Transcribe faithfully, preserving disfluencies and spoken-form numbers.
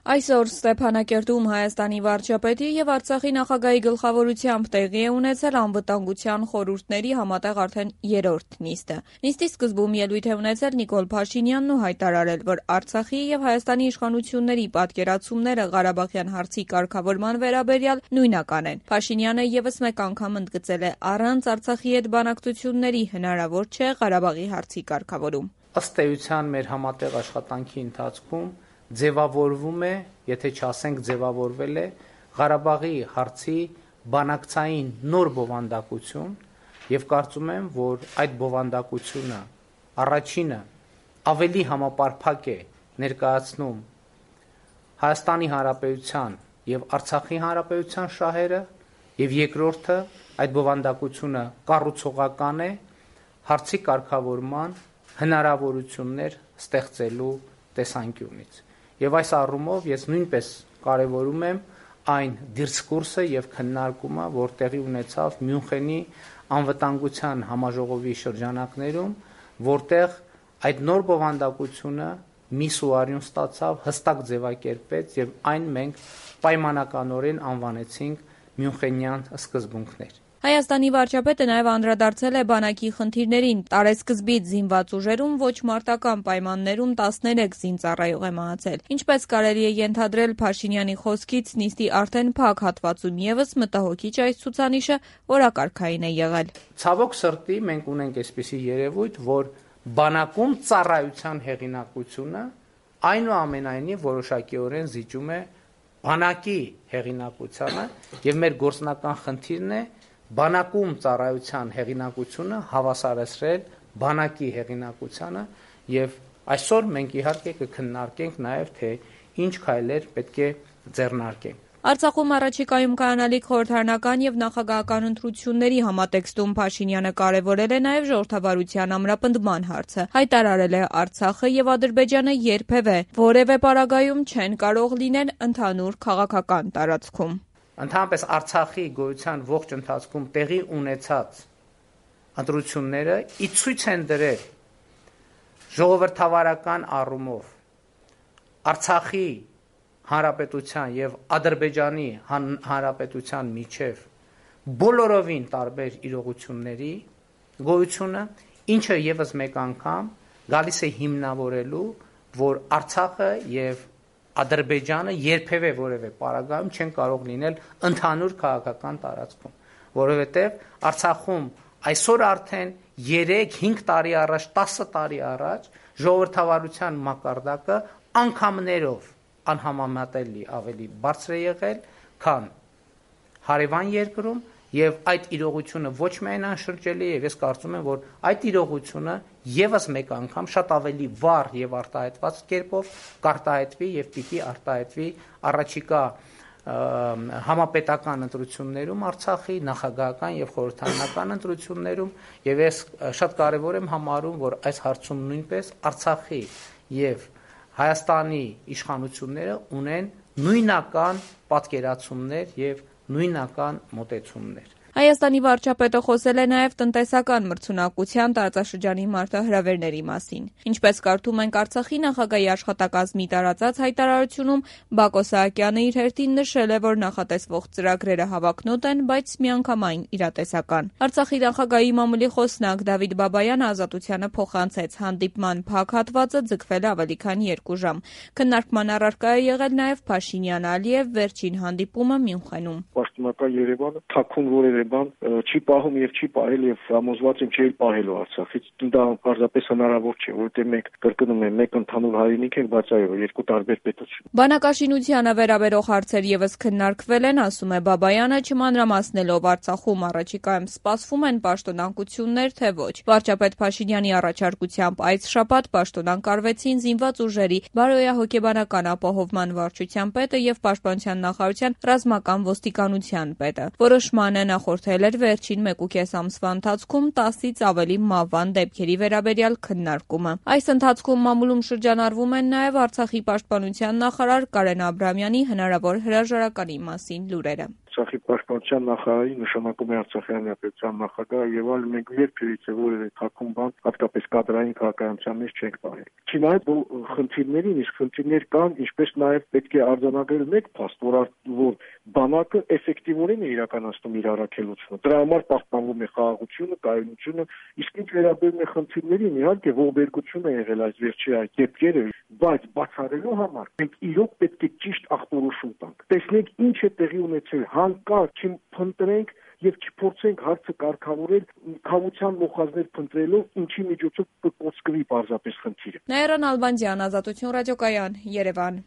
Այսօր Ստեփանակերտում Հայաստանի վարչապետի եւ Արցախի նախագահի գլխավորությամբ տեղի է ունեցել անվտանգության խորհուրդների համատեղ արդեն երրորդ նիստը։ Նիստի սկզբում ելույթ է ունեցել Նիկոլ Փաշինյանն ու հայտարարել, որ Արցախի եւ Հայաստանի իշխանությունների պատկերացումները Ղարաբաղյան հարցի կարգավորման վերաբերյալ նույնական են։ Փաշինյանը եւս մեկ անգամ ընդգծել է, առանց Արցախի հետ բանակցությունների հնարավոր չէ Ղարաբաղի հարցի կարգավորում։ Ըստ էության մեր համատեղ աշխատանքի ընթացքում ձևավորվում է, եթե չասենք ձևավորվել է Ղարաբաղի հարցի բանակցային նոր բովանդակություն եւ կարծում եմ, որ այդ բովանդակությունը առաջինը ավելի համապարփակ է ներկայացնում Հայաստանի Հանրապետության եւ Արցախի Հանրապետության շահերը եւ երկրորդը այդ բովանդակությունը կառուցողական է հարցի կարգավորման հնարավորություններ ստեղծելու տեսանկյունից։ Եվ այս առումով ես նույնպես կարևորում եմ այն դիսկուրսը եւ քննարկումը, որ տեղի ունեցավ Մյունխենի անվտանգության համաժողովի շրջանակներում, որտեղ այդ նոր բովանդակությունը մի սուարյուն ստացավ, հստակ ձևակերպեց եւ այն մենք պայմանականորեն անվանեցինք Մյունխենյան սկզբունքներ։ Հայաստանի վարչապետը նաև անդրադարձել է բանակի խնդիրներին։ Տարեսկզբից զինված ուժերում ոչ մարտական պայմաններում տասներեք զինծառայող է մահացել։ Ինչպես կարելի է ենթադրել Փաշինյանի խոսքից, նիստի արդեն փակ հատվածում եւս մտահոգիչ այս ցուցանիշը օրակարգային է եղել։ Ցավոք սրտի մենք ունենք այսպիսի երևույթ, որ բանակում ծառայության հեղինակությունը այնուամենայնիվ որոշակիորեն զիջում է բանակի հեղինակությանը եւ մեր գործնական խնդիրն է բանակում ծառայության հեղինակությունը հավասարեցրել բանակի հեղինակությանը եւ այսօր մենք իհարկե կքննարկենք նաեւ թե ինչ քայլեր պետք է ձեռնարկենք։ Արցախում առաջիկայում կայանալիք խորհրդարանական եւ նախագահական ընտրությունների համատեքստում Փաշինյանը կարեւորել է նաեւ ժողովրդավարության ամրապնդման հարցը։ Հայտարարել է Արցախը եւ Ադրբեջանը երբևէ որևէ պարագայում չեն կարող լինել ընդհանուր քաղաքական տարածքում։ Ընդհանրապես Արցախի գոյության ողջ ընթացքում տեղի ունեցած ընտրությունները ի ցույց են դրել ժողովրդավարական առումով Արցախի Հանրապետության եւ Ադրբեջանի Հանրապետության միջև բոլորովին տարբեր իրողությունների գոյությունը, ինչը եւս մեկ անգամ գալիս է հիմնավորելու, որ Արցախը եւ Ադրբեջանը երբևէ որևէ պարագայում չեն կարող լինել ընդհանուր քաղաքական տարածքում, որովհետև Արցախում այսօր արդեն երեք-հինգ տարի առաջ, տասը տարի առաջ ժողովրդավարության մակարդակը անգամներով անհամեմատելի ավելի բարձր է եղել, քան հարևան երկրում եւ այդ իրողությունը ոչ միայն անշրջելի է, եւ ես կարծում եմ, որ այդ իրողությունը եւս մեկ անգամ շատ ավելի վառ եւ արտահայտված կերպով կարտահայտվի եւ պիտի արտահայտվի առաջիկա համապետական ընտրություններում Արցախի նախագահական եւ խորհրդարանական ընտրություններում եւ ես շատ կարեւոր եմ համարում, որ այս հարցում նույնպես Արցախի եւ Հայաստանի իշխանությունները ունեն նույնական պատկերացումներ եւ նույնական մոտեցումներ։ Հայաստանի վարչապետը խոսել է նաև տնտեսական մրցունակության տարածաշրջանի մարտահրավերների մասին։ Ինչպես կարդում ենք Արցախի նախագահի աշխատակազմի տարածած հայտարարությունում, Բակո Սահակյանը իր հերթին նշել է, որ նախատեսվող ծրագրերը հավակնոտ են, բայց միանգամայն իրատեսական։ Արցախի նախագահի մամուլի խոսնակ Դավիթ Բաբայանը Ազատությանը փոխանցեց հանդիպման փակ հատվածը ձգվել է ավելի քան երկու ժամ։ Քննարկման առարկա է եղել նաև Փաշինյան-Ալիև վերջին հանդիպումը Մյունխենում։ Պաշտոնական Երևանը թաքուն որևէ բան չի պահում եւ չի պահել եւ համոզված եմ չի պահելու Արցախից։ Դա պարզապես հնարավոր չէ, որովհետեւ մենք կրկնում եմ, մեկ ընդհանուր հայրենիք ենք, բայց այո, երկու տարբեր պետություն։ Բանակաշինությանը վերաբերող հարցեր եւս քննարկվել են, ասում է Բաբայանը, չմանրամասնելով Արցախում առաջիկայում սպասվում են պաշտոնանկություններ, թե ոչ։ Վարչապետ Փաշինյանի առաջարկությամբ այս շաբաթ պաշտոնանկարվեցին զինված ուժերի բարոյահոգեբանական ապահովման վարչության պետը եւ պաշտպանության նախարարության ռազմական ոստիկանության պետը։ Որոշմանը նախորդել էր վերջին մեկուկես ամսվա ընթացքում տասից ավելի մահվան դեպքերի վերաբերյալ քննարկումը։ Այս ընթացքում մամուլում շրջանառվում են նաև Արցախի պաշտպանության նախարար Կարեն Աբրամյանի հնարավոր հրաժարականի մասին լուրերը։ Արցախի պաշտպանության նախարարի նշանակում է Արցախի հանրապետության նախագահը եւ այլ մենք երբևիցե որևէ թաքուն բան, հատկապես կադրային քաղաքականության մեջ չենք բարել։ Չնայած որ խնդիրներին, իսկ խնդիրներ կան, ինչպես նաեւ պետք է արձանագրել մեկ փաստ, որ որ բանակը էֆեկտիվորեն է իրականացնում իր առաքելությունը։ Դրա համար պահպանվում է խաղաղությունը, կայունությունը, իսկ ինչ վերաբերում է խնդիրներին, իհարկե ողբերգություն է եղել այս վերջի այդ դեպքերը, բայց բացառելու համար մենք իրոք պետք է ճիշտ ախտորոշում տանք։ Տեսնենք ինչ է տեղի ունեցել, հանկարծ չփնտրենք եւ չփորձենք հարցը կարգավորել քավության մոխազներ փնտրելով, ինչի միջոցով կկոծկվի պարզապես խնդիրը։ Նաիրա Նալբանդյան, Ազատություն ռադիոկայան, Երևան։